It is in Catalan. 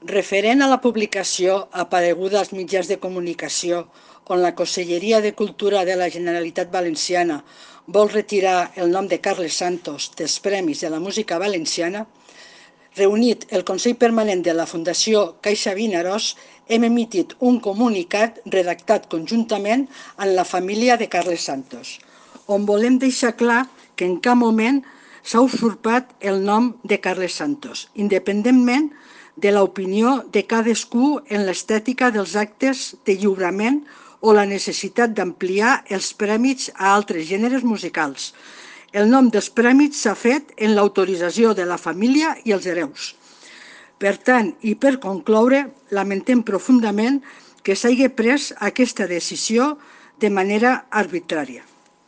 Referent a la publicació apareguda als mitjans de comunicació on la Conselleria de Cultura de la Generalitat Valenciana vol retirar el nom de Carles Santos dels Premis de la Música Valenciana, reunit el Consell Permanent de la Fundació Caixa Vinaròs, hem emitit un comunicat redactat conjuntament amb la família de Carles Santos, on volem deixar clar que en cap moment s'ha usurpat el nom de Carles Santos, independentment de l'opinió de cadascú en l'estètica dels actes de lliurament o la necessitat d'ampliar els prèmits a altres gèneres musicals. El nom dels prèmits s'ha fet en l'autorització de la família i els hereus. Per tant, i per concloure, lamentem profundament que s'hagi pres aquesta decisió de manera arbitrària.